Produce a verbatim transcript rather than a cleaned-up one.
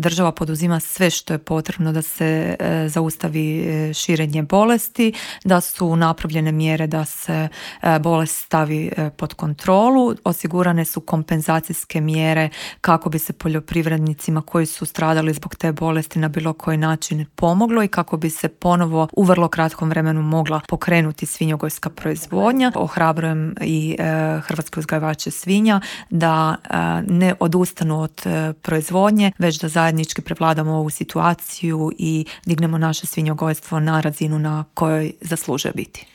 država poduzima sve što je potrebno da se zaustavi širenje bolesti, da su napravljene mjere da se bolest stavi pod kontrolu, osigurane su kompenzacijske mjere kako bi se poljoprivrednicima koji su stradali zbog te bolesti na bilo koji način pomoglo i kako bi se ponovo u vrlo kratkom vremenu mogla pokrenuti svinjogojska proizvodnja. Ohrabrujem i hrvatske uzgajivače svinja da ne odustanu od proizvodnje, već da zajednički prevladamo ovu situaciju i dignemo naše svinjogojstvo na razinu na kojoj zaslužuje biti.